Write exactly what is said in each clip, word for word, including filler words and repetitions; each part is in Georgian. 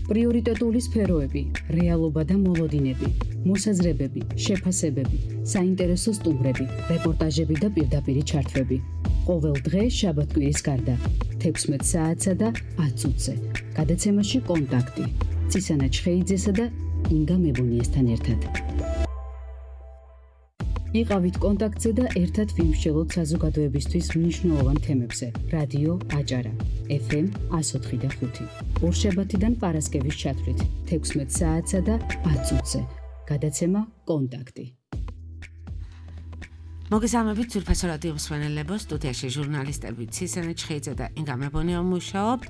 პრიორიტეტული სფეროები, რეალობა და მოლოდინები, მოსაზრებები, შეფასებები, საინტერესო სტუმრები, რეპორტაჟები და პირდაპირი ჩართვები. ყოველ დღე შაბათ-კვირის გარდა, თექვსმეტ საათსა და ათ წუთზე. გადაცემაში კონტაქტი. ცისანა ჩხეიძესა და ინგა მებონიესთან ერთად. იყავით კონტაქტზე და ერთად ვიმსჯელოთ საზოგადოებისთვის მნიშვნელოვან თემებზე. რადიო აჭარა, ეფ ემ εκατო ოთხი და ხუთი. ორშაბათიდან პარასკევის ჩათვლით, თექვსმეტ საათსა და ათ წუთზე. გადაცემა კონტაქტი. მოგესალმებით ძვირფასო რადიო მსმენელებო, სტუდიაში ჟურნალისტები ცისანა ჩხეიძე და ინგა მებონია მუშაობთ,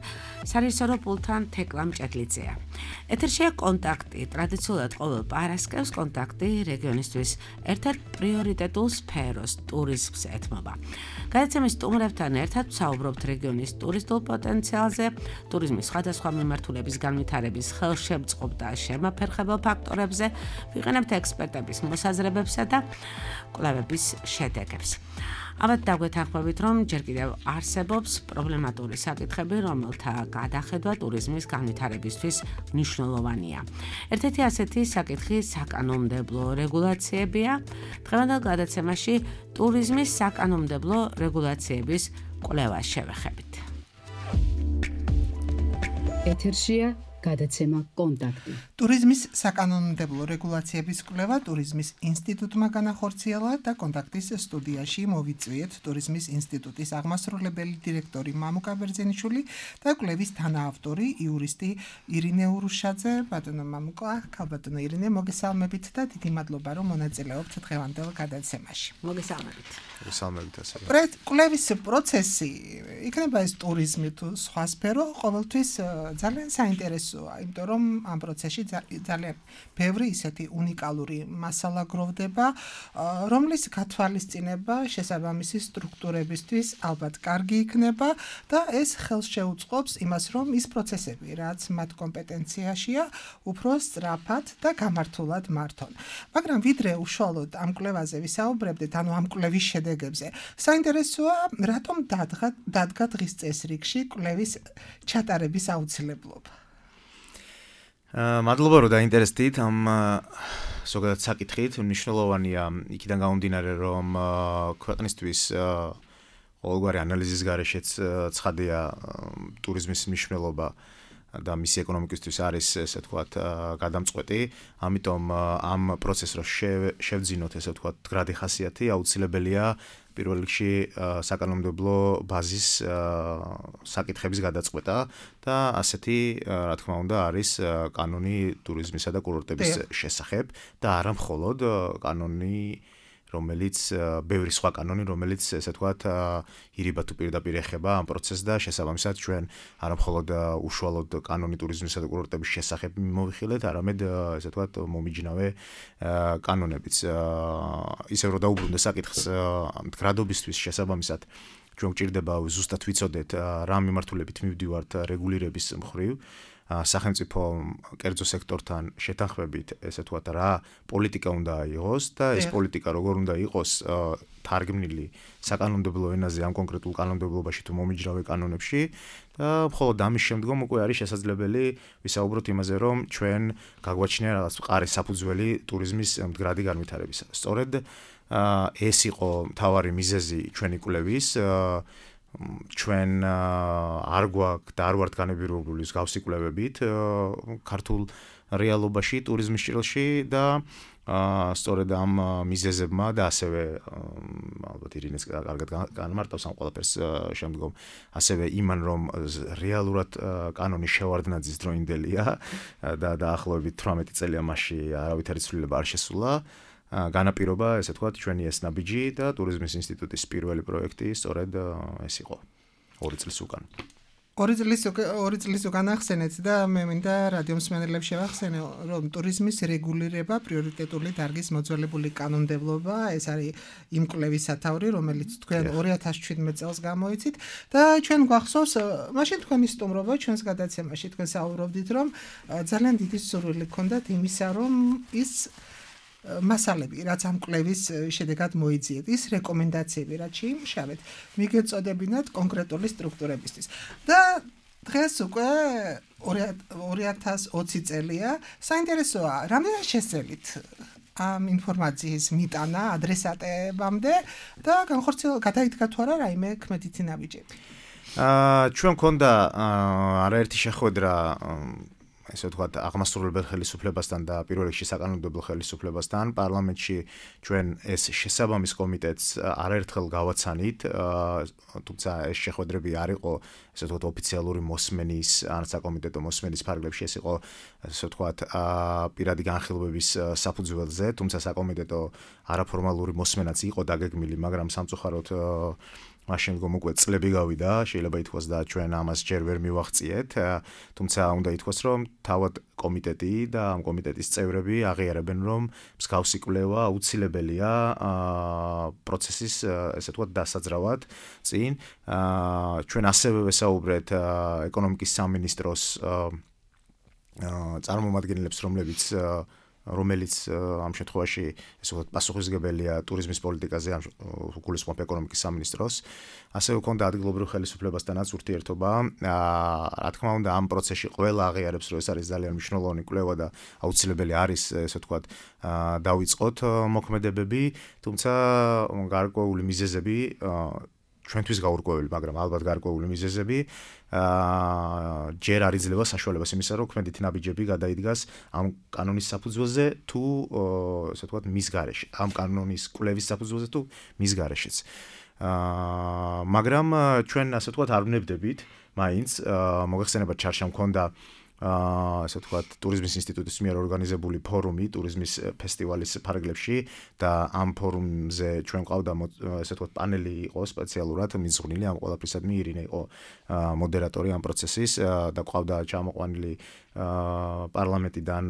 სარეჟისორო პულტთან თეკლა მჭედლიძეა. ეთერშია კონტაქტი, ტრადიციულად ყოველ პარასკევს კონტაქტი რეგიონისთვის ერთ-ერთ პრიორიტეტულ სფეროს, ტურიზმს ეთმობა. გადაცემის სტუმრებთან ერთად ვსაუბრობთ რეგიონის ტურისტულ პოტენციალზე, ტურიზმის სხვადასხვა მიმართულების განვითარების ხელშემწყობ და შემაფერხებელ ფაქტორებზე, ვიყენებთ ექსპერტების მოსაზრებებსა და კვლევების შედეგებს. ამათ დაგვეთანხმებით, რომ ჯერ კიდევ არსებობს პრობლემატური საკითხები, რომელთა გადახედვა ტურიზმის განვითარებისთვის მნიშვნელოვანია. ერთ-ერთი ასეთი საკითხი საკანონმდებლო რეგულაციებია. დღევანდელ გადაცემაში ტურიზმის საკანონმდებლო რეგულაციების კვლევას შევეხებით. ეთერშია გადაცემა კონტაქტი. ტურიზმის საკანონმდებლო რეგულაციების კვლევა ტურიზმის ინსტიტუტმა განახორციელა და კონტაქტის სტუდიაში მოვიწვიეთ ტურიზმის ინსტიტუტის აღმასრულებელი დირექტორი მამუკა ბერძენიშვილი და კვლევის თანაავტორი იურისტი ირინე ურუშაძე. ბატონო მამუკა, ქალბატონო ირინე, მოგესალმებით და დიდი მადლობა, რომ მონაწილეობთ დღევანდელ გადაცემაში. მოგესალმებით. მოგესალმებით ასევე. კვლევის პროცესი, იქნება ეს ტურიზმი თუ სხვა სფერო, ყოველთვის ძალიან საინტერესოა, იმიტომ რომ ამ პროცესში ძალიან ბევრი ისეთი უნიკალური მასალა გროვდება, რომლის გათვალისწინება შესაბამისი სტრუქტურებისთვის ალბათ კარგი იქნება და ეს ხელს შეუწყობს იმას, რომ ის პროცესები, რაც მათ კომპეტენციაშია, უფრო სწრაფად და გამართულად მართონ. მაგრამ ვიდრე უშუალოდ ამ კვლევაზე ვისაუბრებდეთ, ანუ ამ კვლევის შედეგებზე, საინტერესოა, რატომ დადგა დადგა დღის წესრიგში კვლევის ჩატარების აუცილებლობა. მადლობა, რომ დაინტერესდით ამ ზოგადად საკითხით. მნიშვნელოვანია იქიდან გამომდინარე, რომ ქვეყნისთვის ყოველგვარი ანალიზის გარეშეც ცხადია ტურიზმის მნიშვნელობა და მისი ეკონომიკისთვის არის, ესე ვთქვათ, გადამწყვეტი. ამიტომ ამ პროცესს რო შევძინოთ, ესე ვთქვათ, გრადი ხასიათი, აუცილებელია პირველ რიგში საკანონმდებლო ბაზის საკითხების გადაწყვეტა და ასეთი, რა თქმა უნდა, არის კანონი ტურიზმისა და კურორტების შესახებ და არა მხოლოდ კანონი, რომელიც ბევრი სხვა კანონი, რომელიც ესე ვთქვათ, ირიბა თუ პირდაპირ ეხება ამ პროცესს და შესაბამისად ჩვენ არა მხოლოდ უშუალოდ კანონი ტურიზმისა და კურორტების შესახებ მოვიხილეთ, არამედ ესე ვთქვათ, მომიჯნავე კანონებიც. ისევ რომ დაუბრუნდე საკითხს მდგრადობისთვის შესაბამისად ჩვენ გვჭირდება ზუსტად ვიცოდეთ რა მიმართულებით მივდივართ რეგულირების მხრივ. სახელმწიფო კერძო სექტორთან შეთანხმებით, ესე ვთქვათ, რა პოლიტიკა უნდა იყოს და ეს პოლიტიკა როგორ უნდა იყოს თარგმნილი საკანონმდებლო ენაზე ამ კონკრეტულ კანონმდებლობაში თუ მომიჯნავე კანონებში და მხოლოდ ამის შემდგომ უკვე არის შესაძლებელი ვისაუბროთ იმაზე, რომ ჩვენ გაგვაჩნია რაღაც მყარი საფუძველი ტურიზმის მდგრადი განვითარებისა. სწორედ ეს იყო მთავარი მიზეზი ჩვენი კვლევის. ჩვენ არ გვაქვს და არ ვართ განებირებული მსგავსი კვლევებით ქართულ რეალობაში ტურიზმის ჭრილში და სწორედ ამ მიზეზებმა და ასევე ალბათ ირინეს კარგად განმარტავს ამ ყველაფერს შემდგომ ასევე იმან, რომ რეალურად კანონის შევარდნაძის დროინდელია და დაახლოებით თვრამეტი წელია მასში არავითარი ცვლილება არ შესულა. განაპირობა, ესე ვთქვათ, ჩვენი ეს ნაბიჯი და ტურიზმის ინსტიტუტის პირველი პროექტი სწორედ ეს იყო ორი წლის უკან. ორი წლის ორი წლის უკან ახსენეთ და მე მინდა რადიო მსმენელებს შევახსენე, რომ ტურიზმის რეგულირება პრიორიტეტული დარგის მოძველებული კანონმდებლობა, ეს არის იმ კვლევის სათაური, რომელიც თქვენ ორი ათას შვიდმეტ წელს გამოიცით და ჩვენ გვახსოვს, მაშინ თქვენი სტუმრობა ჩვენს გადაცემაში თქვენ საუბრობდით, რომ ძალიან დიდი სურვილი გქონდათ იმისა, რომ ის მასალები, რაც ამ კვლევის შედეგად მოიძიეთ, ის რეკომენდაციები, რაც შეიმუშავეთ, მიგეწოდებინათ კონკრეტული სტრუქტურებისთვის. და დღეს უკვე ორი ათას ოცი წელია. საინტერესოა, რამდენად შესწელით ამ ინფორმაციის მიტანა ადრესატებამდე და განხორციელ გადაიდგა თუ არა რაიმე ქმედითი ნაბიჯები? აა ჩვენ გქონდა არაერთი შეხვედრა ესე ვთქვათ, აღმასრულებელ ხელისუფლებასთან და პირველ რიგში საკანონმდებლო ხელისუფლებასთან პარლამენტში ჩვენ ეს შესაბამის კომიტეტს არაერთხელ გავაცანით, თუმცა ეს შეხვედრები არ იყო ესე ვთქვათ ოფიციალური მოსმენის ან საკომიტეტო მოსმენის ფარგლებში, ეს იყო ესე ვთქვათ პირადი განხილვების საფუძველზე, თუმცა საკომიტეტო არაფორმალური მოსმენაც იყო დაგეგმილი, მაგრამ სამწუხაროდ მაშინ გომ უკვე წლები გავიდა, შეიძლება ითქვას და ჩვენ ამას ჯერ ვერ მივაღწიეთ, თუმცა უნდა ითქვას, რომ თავად კომიტეტი და ამ კომიტეტის წევრები აღიარებენ, რომ მსგავსი კვლევა აუცილებელია პროცესის, ესე ვთქვათ, დასაძრავად წინ. ჩვენ ასევე ვესაუბრეთ ეკონომიკის სამინისტროს წარმომადგენლებს, რომლებიც რომელიც ამ შემთხვევაში ესე ვთქვათ პასუხისმგებელია ტურიზმის პოლიტიკაზე, ამ გულისხმობ ეკონომიკის სამინისტროს. ასევე გვქონდა ადგილობრივ ხელისუფლებასთანაც ურთიერთობა. რა თქმა უნდა, ამ პროცესში ყველა აღიარებს, რომ ეს არის ძალიან მნიშვნელოვანი კვლევა და აუცილებელი არის, ესე ვთქვათ, დავიწყოთ მოქმედებები, თუმცა გარკვეული მიზეზები ჩვენთვის გაურკვეველი, მაგრამ ალბათ გარკვეული მიზეზები აა ჯერ არ იძლევა საშუალებას იმისა, რომ ქმედითი ნაბიჯები გადაიდგას ამ კანონის საფუძველზე თუ ესე ვთქვათ მის გარეშე, ამ კანონის კვლევის საფუძველზე თუ მის გარეშეც. აა მაგრამ ჩვენ ასე ვთქვათ არ ვნებდებით, მაინც მოგეხსენებათ ჩარშამ მქონდა აა ასე ვთქვათ ტურიზმის ინსტიტუტის მიერ ორგანიზებული ფორუმი ტურიზმის ფესტივალის ფარგლებში და ამ ფორუმზე ჩვენ ყავდა ასე ვთქვათ პანელი იყო სპეციალურად მიზღვნილი ამ ყველაფრისადმი ირინე იყო მოდერატორი ამ პროცესის და ყავდა ჩამოყვანილი პარლამენტიდან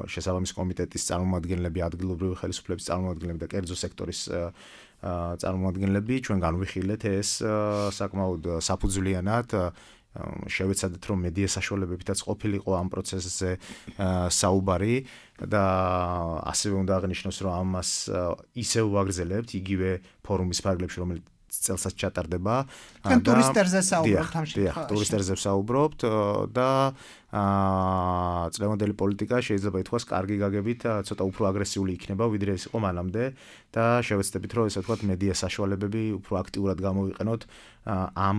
შესაბამის კომიტეტის წარმომადგენლები, ადგილობრივი ხელისუფლების წარმომადგენლები და კერძო სექტორის წარმომადგენლები. ჩვენ განვიხილეთ ეს საკმაოდ საფუძვლიანად შევეცადეთ, რომ მედია საშუალებებითაც ყოფილიყო ამ პროცესზე საუბარი და ასევე უნდა აღნიშნოს, რომ ამას ისევ ვაგრძელებთ იგივე ფორუმის ფარგლებში, რომელიც წელსაც ჩატარდება. და ტურისტერზე საუბრობთ ამ შემთხვევაში. ტურისტერზე საუბრობთ და აა წლევანდელი პოლიტიკა შეიძლება ითქვას კარგი გაგებით ცოტა უფრო აგრესიული იქნება, ვიდრე ეს იყო მანამდე და შევეცდებით, რომ ესე ვთქვათ მედია საშუალებები უფრო აქტიურად გამოვიყენოთ ამ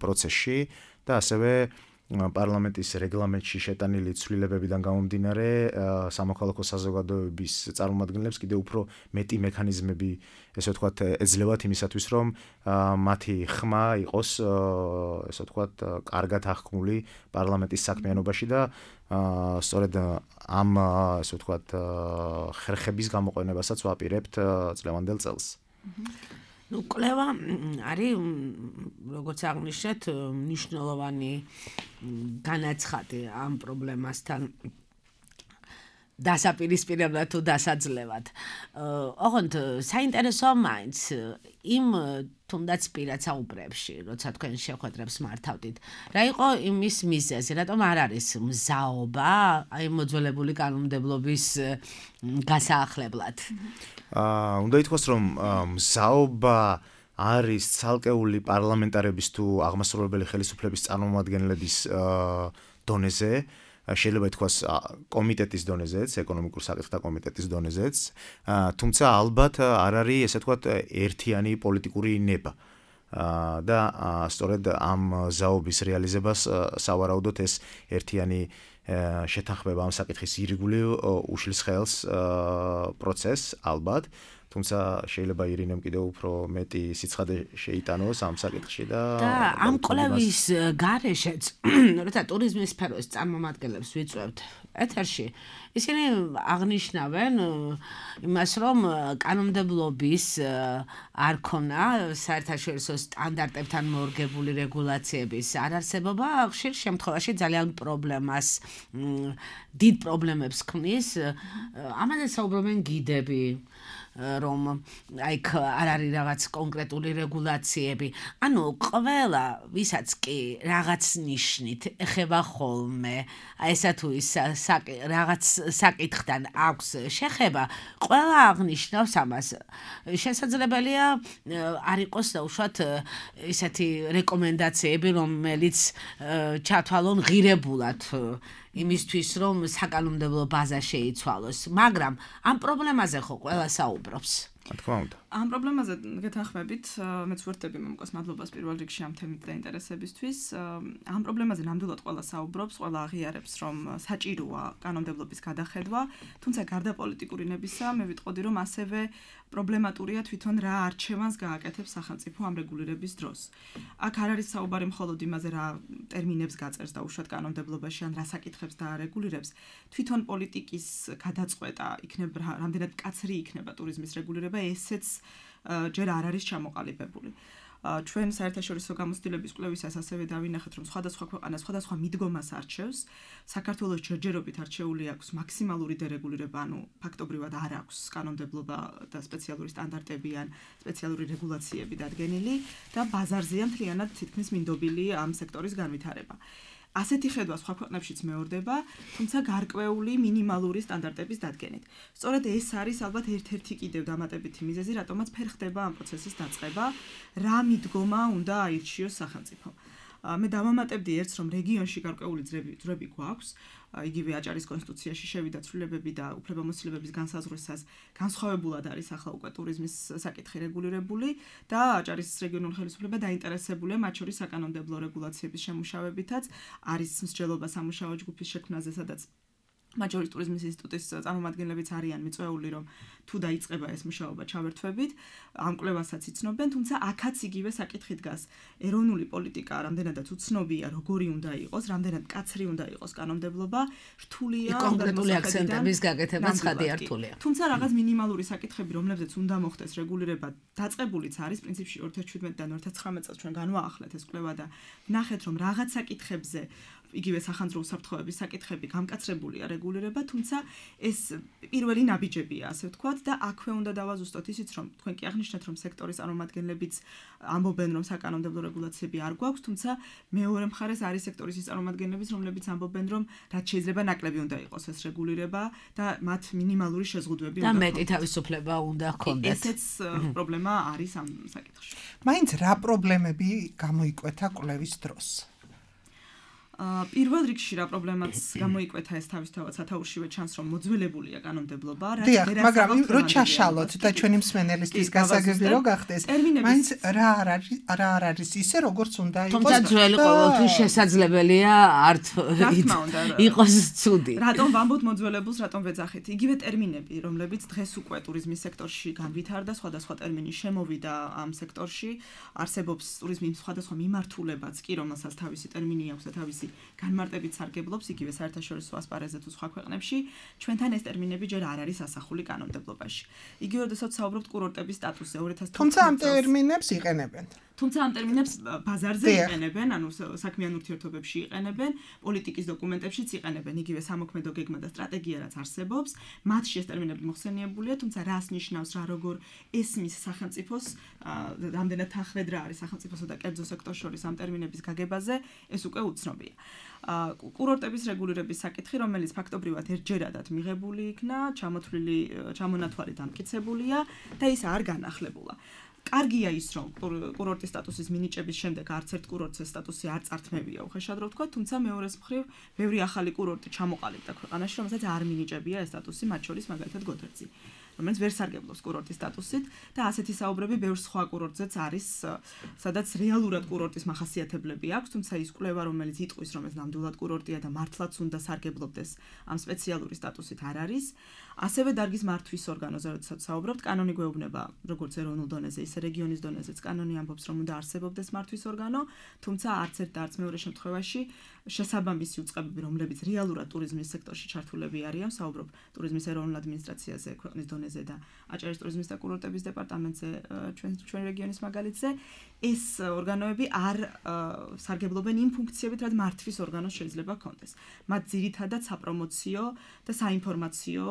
პროცესში და ასევე პარლამენტის რეგლამენტში შეტანილი ცვლილებებიდან გამომდინარე სამოქალაქო საზოგადოების წარმომადგენლებს კიდევ უფრო მეტი მექანიზმები ესე ვთქვათ ეძლევათ იმისათვის, რომ მათი ხმა იყოს ესე ვთქვათ კარგად აღქმული პარლამენტის საქმიანობაში და სწორედ ამ ესე ვთქვათ ხერხების გამოყენებასაც ვაპირებთ წლევანდელ წელს. ну კვლევა არის როგორც აღნიშნეთ მნიშვნელოვანი განაცხადი ამ პრობლემასთან დასაპირისპირებლად თუ დასაძლევად. ოღონდ საინტერესოა მაინც იმ თუნდაც პირად საუბრებში, როცა თქვენ შეხვედრებს მართავდით, რა იყო იმის მიზეზი, რატომ არ არის მზაობა აი მოძველებული კანონმდებლობის გასაახლებლად? აა უნდა ითქვას, რომ მზაობა არის ცალკეული პარლამენტარების თუ აღმასრულებელი ხელისუფლების წარმომადგენლების დონეზე, შეიძლება ითქვას კომიტეტის დონეზეც, ეკონომიკურ საკითხთა კომიტეტის დონეზეც, თუმცა ალბათ არ არის ესე ვთქვათ ერთიანი პოლიტიკური ნება. და სწორედ ამ ზაობის რეალიზებას სავარაუდოდ ეს ერთიანი შეთანხმება ამ საკითხის ირგვლივ უშლის ხელს პროცესს ალბათ, თუმცა შეიძლება ირინემ კიდევ უფრო მეტი სიცხადე შეიტანოს ამ საკითხში და და ამ კვლევის გარეშეც, როცა ტურიზმის სფეროს წარმომადგენლებს ვიწვევთ ეთერში, ისინი აღნიშნავენ იმას, რომ კანონმდებლობის არ ქონა საერთაშორისო სტანდარტებთან მორგებული რეგულაციების არარსებობა ხშირ შემთხვევაში ძალიან პრობლემას, დიდ პრობლემებს ქმნის. ამაზე საუბრობენ გიდები, რომ აი არ არის რაღაც კონკრეტული რეგულაციები. ანუ ყველა ვისაც კი რაღაც ნიშნით ეხება ხოლმე, აი ესა თუ ის რაღაც საკითხთან აქვს შეხება, ყველა აღნიშნავს ამას. შესაძლებელია არ იყოს უშუალოდ ესეთი რეკომენდაციები, რომელიც ჩათვალონ ღირებულად იმისთვის, რომ საკანონმდებლო ბაზა შეიცვალოს, მაგრამ ამ პრობლემაზე ხო ყველა საუბრობს. თქმა უნდა. ამ პრობლემაზე გეთანხმებით, მეც ვერთები მომკოს მადლობას პირველ რიგში ამ თემით დაინტერესებისთვის. ამ პრობლემაზე ნამდვილად ყველა საუბრობს, ყველა აღიარებს, რომ საჭიროა კანონმდებლობის გადახედვა, თუმცა გარდა პოლიტიკური ნებისა, მე ვიტყოდი, რომ ასევე პრობლემატურია თვითონ რა არჩევანს გააკეთებს სახელმწიფო ამ რეგულირების დროს. აქ არ არის საუბარი მხოლოდ იმაზე, რა ტერმინებს გაწერს და უშუალოდ კანონმდებლობაში ან რა საკითხებს დაარეგულირებს, თვითონ პოლიტიკის გადაწყვეტა იქნება რამდენად მკაცრი იქნება ტურიზმის რეგულირება, ესეც ჯერ არ არის ჩამოყალიბებული. ჩვენ საერთაშორისო გამოცდილების კვლევისას ასევე დავინახეთ, რომ სხვადასხვა ქვეყანა სხვადასხვა მიდგომას არჩევს. საქართველოს ჯერჯერობით არჩეული აქვს მაქსიმალური დერეგულირება, ანუ ფაქტობრივად არ აქვს კანონმდებლობა და სპეციალური სტანდარტები ან სპეციალური რეგულაციები დადგენილი და ბაზარზეა მთლიანად თითქმის მინდობილი ამ სექტორის განვითარება. ასეთი ხედვა სხვა ქვეყნებშიც მეორდება, თუმცა გარკვეული მინიმალური სტანდარტების დადგენით. სწორედ ეს არის ალბათ ერთ-ერთი კიდევ დამატებითი მიზეზი, რატომაც ფერ ხდება ამ პროცესის დაწყება, რა მიდგომა უნდა აირჩიოს სახელმწიფო. მე დავამატებდი ერთს, რომ რეგიონში გარკვეული ძრები გვაქვს, იგივე აჭარის კონსტიტუციაში შევიდა ცვლილებები და უფლებამოსილებების განსაზღვრისას განსხვავებულად არის ახლა უკვე ტურიზმის საკითხი რეგულირებული და აჭარის რეგიონული ხელისუფლება დაინტერესებულია მათ შორის საკანონმდებლო რეგულაციების შემუშავებითაც, არის მსჯელობა სამუშაო ჯგუფის შექმნაზე, სადაც მაჯორის ტურიზმის ინსტიტუტის წარმომადგენლებიც არიან მიწვეული, რომ თუ დაიწყება ეს მუშაობა ჩავერთვებით, ამ კვლევასაც იცნობენ, თუმცა აქაც იგივე საკითხი დგას. ეროვნული პოლიტიკა რამდენადაც უცნობია, როგორი უნდა იყოს, რამდენად მკაცრი უნდა იყოს კანონმდებლობა, რთულია კონკრეტული აქცენტების გაკეთება ცხადი არ რთულია. თუმცა რაღაც მინიმალური საკითხები, რომლებზეც უნდა მოხდეს რეგულირება, დაწყებულიც არის პრინციპში ორი ათას შვიდმეტი-დან ორი ათას ცხრამეტ წელს ჩვენ განვაახლეთ ეს კვლევა და ნახეთ, რომ რაღაც საკითხებზე იგივე სახანძრო უსაფრთხოების საკითხები გამკაცრებულია რეგულირება, თუმცა ეს პირველი ნაბიჯებია, ასე ვთქვათ, და აქვე უნდა დავაზუსტოთ ისიც, რომ თქვენ კი აღნიშნეთ, რომ სექტორის წარმომადგენლებიც ამბობენ, რომ საკანონმდებლო რეგულაციები არ გვაქვს, თუმცა მეორე მხარეს არის სექტორის ის წარმომადგენლებიც, რომლებიც ამბობენ, რომ რაც შეიძლება ნაკლები უნდა იყოს ეს რეგულირება და მათ მინიმალური შეზღუდვები უნდა და მეტი თავისუფლება უნდა ჰქონდეთ. ესეც პრობლემა არის ამ საკითხში. მაინც რა პრობლემები გამოიკვეთა კვლევის დროს? პირველ რიგში რა პრობლემაც გამოიკვეთა ეს თავისთავად სათაურშივე ჩანს, რომ მოძველებულია კანონმდებლობა, რაც მაგრამ რო ჩაშალოთ და ჩვენი მსმენელისთვის გასაგები რო გახდეს, მაინც რა არ არის რა არ არის ისე როგორც უნდა იყოს. თუმცა ძველი ყოველთვის შესაძლებელია არ იყოს ცუდი. რატომ ვამბობთ მოძველებულს, რატომ ვეძახით? იგივე ტერმინები, რომლებიც დღეს უკვე ტურიზმის სექტორში განვითარდა, სხვადასხვა ტერმინი შემოვიდა ამ სექტორში, არსებობს ტურიზმის სხვადასხვა მიმართულებაც კი, რომელსაც თავისი ტერმინი აქვს და თავისი განმარტებით სარგებლობს იგივე საერთაშორისო ასპარეზზე თუ სხვა ქვეყნებში, ჩვენთან ეს ტერმინები ჯერ არ არის ასახული კანონმდებლობაში. იგივე როდესაც საუბრობთ კურორტების სტატუსზე ორი ათას თორმეტ თუმცა ამ ტერმინებს იყენებენ. თუმცა ამ ტერმინებს ბაზარზე იყენებენ, ანუ საქმიან ურთიერთობებში იყენებენ, პოლიტიკის დოკუმენტებშიც იყენებენ, იგივე სამოქმედო გეგმა და სტრატეგია რაც არსებობს, მათში ეს ტერმინები მოხსენიებულია, თუმცა რას ნიშნავს, რა როგორ ესმის სახელმწიფოს, რამდენად თანხმედრა არის სახელმწიფოსა და კერძო სექტორს შორის ამ ტერმინების გაგებაზე, ეს უკვე უცნობია. კურორტების რეგულირების საკითხი, რომელიც ფაქტობრივად ერთჯერადად მიღებული იქნა, ჩამოთვლილი, ჩამონათვალი დამტკიცებულია და ის არ განახლებულა. კარგია ის, რომ კურორტის სტატუსის მინიჭების შემდეგ არც ერთ კურორტს ეს სტატუსი არ წართმევია, უხეშად რო ვთქვა, თუმცა მეორეს მხრივ, ბევრი ახალი კურორტი ჩამოყალიბდა ქვეყანაში, რომელსაც არ მინიჭებია ეს სტატუსი, მათ შორის მაგალითად გოდერძი, რომელიც ვერ სარგებლობს კურორტის სტატუსით და ასეთი საუბრები ბევრ სხვა კურორტზეც არის, სადაც რეალურად კურორტის მახასიათებლები აქვს, თუმცა ის კვლევა, რომელიც იტყვის, რომ ეს ნამდვილად კურორტია და მართლაც უნდა სარგებლობდეს ამ სპეციალური სტატუსით არ არის. ასევე დარგის მართვის ორგანოზე, როდესაც საუბრობთ, კანონი გვეუბნება, როგორც ეროვნულ დონეზე, ისე რეგიონის დონეზეც კანონი ამბობს, რომ უნდა არსებობდეს მართვის ორგანო, თუმცა არც ერთ და არც მეორე შემთხვევაში შესაბამისი უწყებები, რომლებიც რეალურად ტურიზმის სექტორში ჩართულები არიან, საუბრობ ტურიზმის ეროვნულ ადმინისტრაციაზე ქვეყნის დონეზე დონეზე და აჭარის ტურიზმის და კურორტების დეპარტამენტზე ჩვენ ჩვენ რეგიონის მაგალითზე ეს ორგანოები არ სარგებლობენ იმ ფუნქციებით, რაც მართვის ორგანოს შეიძლება ჰქონდეს. მათ ძირითადად საპრომოციო და საინფორმაციო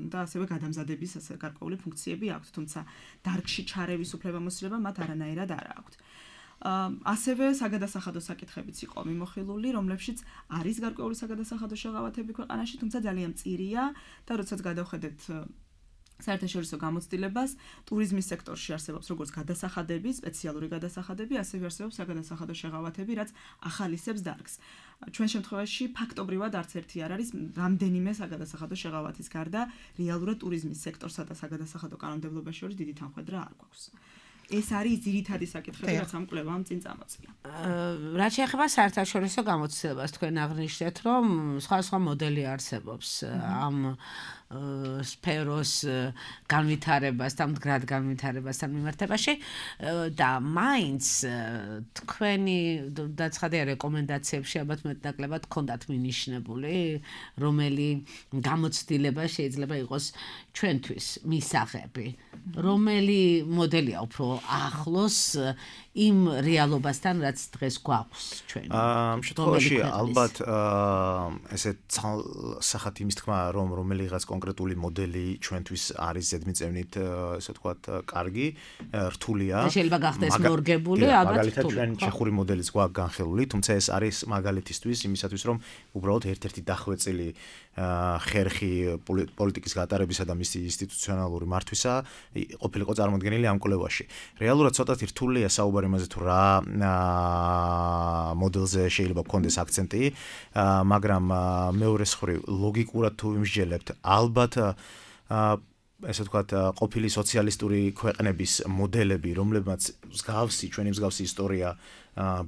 და ასევე გადამზადების ასე გარკვეული ფუნქციები აქვთ, თუმცა დარგში ჩარევის უფლებამოსილება მათ არანაირად არ აქვთ. ასევე საგადასახადო საკითხებიც იყო მიმოხილული, რომლებშიც არის გარკვეული საგადასახადო შეღავათები ქვეყანაში, თუმცა ძალიან მწირია და როდესაც გადავხედეთ საერთაშორისო გამოცდილებას, ტურიზმის სექტორში არსებობს როგორც გადასახადები, სპეციალური გადასახადები, ასევე არსებობს საგადასახადო შეღავათები, რაც ახალისებს დარგს. ჩვენ შემთხვევაში ფაქტობრივად არც ერთი არ არის რამდენიმე საგადასახადო შეღავათის გარდა, რეალურად ტურიზმის სექტორსა და საგადასახადო კანონმდებლობაში შორის დიდი თანხმედრა არ გვაქვს. ეს არის ძირითადი საკითხები, რაც ამ კვლევამ წინ წამოწია. რაც შეეხება საერთაშორისო გამოცდილებას, თქვენ აღნიშნეთ, რომ სხვა სხვა მოდელი არსებობს ამ სფეროს განვითარებასთან, მდგრად განვითარებასთან მიმართებაში და მაინც თქვენი დაცხადია რეკომენდაციებში ალბათ მეტნაკლებად გქონდათ მინიშნებული, რომელი გამოცდილება შეიძლება იყოს ჩვენთვის მისაღები, რომელი მოდელია უფრო ახლოს იმ რეალობასთან, რაც დღეს გვაქვს ჩვენ. ამ შემთხვევაში ალბათ ესე სახათ იმის თქმა, რომ რომელიღაც კონკრეტული მოდელი ჩვენთვის არის ზედმიწევნით, ესე ვთქვათ, კარგი, რთულია. შეიძლება გახდეს მორგებული, ალბათ. მაგალითად ჩვენ ჩეხური მოდელიც გვაქვს განხილული, თუმცა ეს არის მაგალითისთვის იმისათვის, რომ უბრალოდ ერთ-ერთი დახვეწილი ხერხი პოლიტიკის გატარებისა და მისი ინსტიტუციონალური მართვისა ყოფილიყო წარმოდგენილი ამ კვლევაში. რეალურად ცოტათი რთულია საუბარი იმაზე თუ რა მოდელზე შეიძლება გქონდეს აქცენტი, მაგრამ მეორე მხრივ ლოგიკურად თუ იმსჯელებთ, ალბათ ესე ვთქვათ, ყოფილი სოციალისტური ქვეყნების მოდელები, რომლებმაც მსგავსი, ჩვენი მსგავსი ისტორია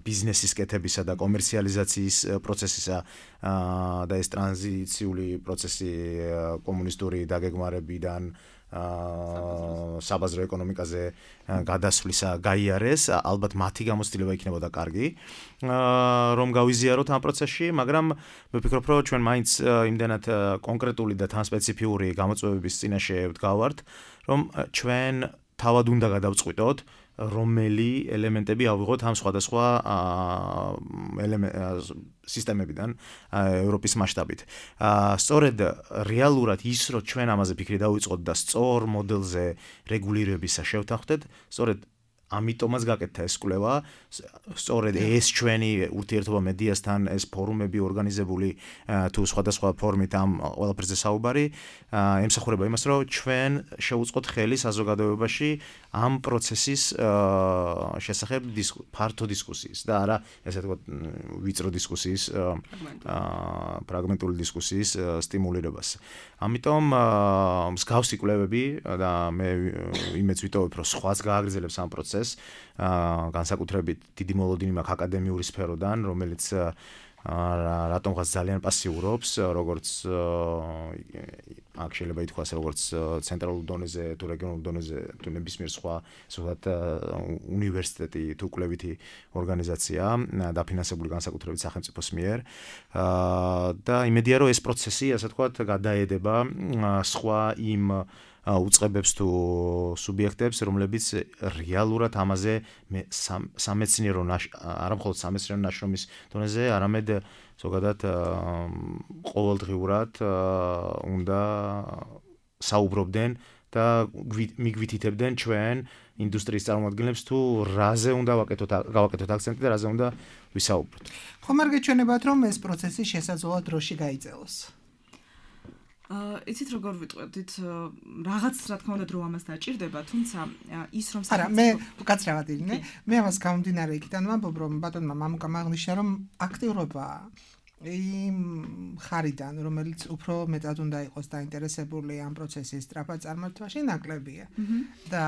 ბიზნესის კეთებისა და კომერციალიზაციის პროცესისა და ეს ტრანზიციული პროცესი კომუნისტური დაგეგმარებიდან საბაზრო ეკონომიკაზე გადასვლისა გაიარეს, ალბათ მათი გამოცდილება იქნებოდა კარგი, რომ გავიზიაროთ ამ პროცესში, მაგრამ მე ვფიქრობ, რომ ჩვენ მაინც იმდენად კონკრეტული და თან სპეციფიური გამოწვევების წინაშე ვდგავართ, რომ ჩვენ თავად უნდა გადავწყვიტოთ, რომელი ელემენტები ავიღოთ ამ სხვადასხვა სისტემებიდან ევროპის მასშტაბით. სწორედ რეალურად ის, რომ ჩვენ ამაზე ფიქრი დავიწყოთ და სწორ მოდელზე რეგულირებისა შევთანხმდეთ, სწორედ ამიტომაც გაკეთდა ეს კვლევა, სწორედ ეს ჩვენი ურთიერთობა მედიასთან, ეს ფორუმები ორგანიზებული თუ სხვადასხვა ფორმით ამ ყველაფერზე საუბარი, ემსახურება იმას, რომ ჩვენ შევუწყოთ ხელი საზოგადოებაში ამ პროცესის შესახებ ფართო დისკუსიის და არა, ესე ვთქვათ, ვიწრო დისკუსიის, ფრაგმენტული დისკუსიის სტიმულირებას. ამიტომ მსგავსი კვლევები და მე იმეც ვიტოვებ, რომ სხვაც გააგრძელებს ამ პროცესს, განსაკუთრებით დიდი მოლოდინი მაქვს აკადემიური სფეროდან, რომელიც რატომღაც ძალიან პასიურობს, როგორც აქ შეიძლება ითქვას, როგორც ცენტრალურ დონეზე თუ რეგიონულ დონეზე თუ ნებისმიერ სხვა, ზოგადად უნივერსიტეტი თუ კვლევითი ორგანიზაცია, დაფინანსებული განსაკუთრებით სახელმწიფოს მიერ და იმედია, რომ ეს პროცესი, ასე ვთქვათ, გადაედება სხვა იმ უწყებებს თუ სუბიექტებს, რომლებიც რეალურად ამაზე სამეცნიერო არა მხოლოდ სამეცნიერო ნაშრომის დონეზე, არამედ ზოგადად ყოველდღიურად უნდა საუბრობდნენ და მიგვითითებდნენ ჩვენ ინდუსტრიის წარმოადგენლებს თუ რაზე უნდა ვაკეთოთ გავაკეთოთ აქცენტი და რაზე უნდა ვისაუბროთ. ხომ არ გეჩვენებათ, რომ ეს პროცესი შესაძლოა დროში გაიძელოს? იცით როგორ ვიტყვით, რაღაც რა თქმა უნდა დრო ამას დაჭირდება, თუმცა ის რომ არა, მე უკაცრავად ირინე, მე ამას გამომდინარე იქიდან ვამბობ, რომ ბატონმა მამუკამ აღნიშნა, რომ აქტიურობა იმ ხარიდან, რომელიც უფრო მეტად უნდა იყოს დაინტერესებული ამ პროცესის სწრაფად წარმართვაში, ნაკლებია. და